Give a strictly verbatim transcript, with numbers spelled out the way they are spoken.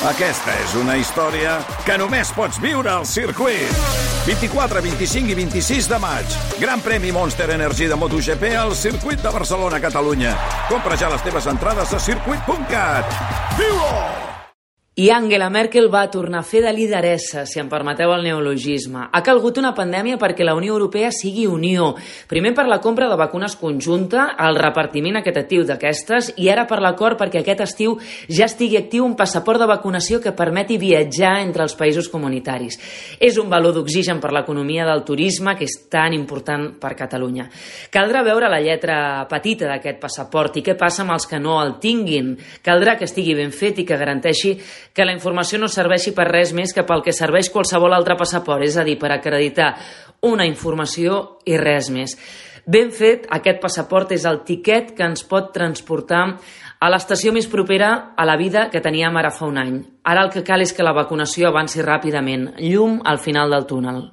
Aquesta és una història que només pots viure al circuit. vint-i-quatre, vint-i-cinc i vint-i-sis de maig. Gran premi Monster Energy de MotoGP al circuit de Barcelona, Catalunya. Compra ja les teves entrades a circuit punt cat. Viu-ho! I Angela Merkel va tornar a fer de lideressa, si em permeteu el neologisme. Ha calgut una pandèmia perquè la Unió Europea sigui unió. Primer per la compra de vacunes conjunta, el repartiment equitatiu d'aquestes, i ara per l'acord perquè aquest estiu ja estigui actiu un passaport de vacunació que permeti viatjar entre els països comunitaris. És un valor d'oxigen per l'economia del turisme que és tan important per Catalunya. Caldrà veure la lletra petita d'aquest passaport i què passa amb els que no el tinguin. Caldrà que estigui ben fet i que garanteixi que la informació no serveixi per res més que pel que serveix qualsevol altre passaport, és a dir, per acreditar una informació i res més. Ben fet, aquest passaport és el tiquet que ens pot transportar a l'estació més propera a la vida que teníem ara fa un any. Ara el que cal és que la vacunació avanci ràpidament, llum al final del túnel.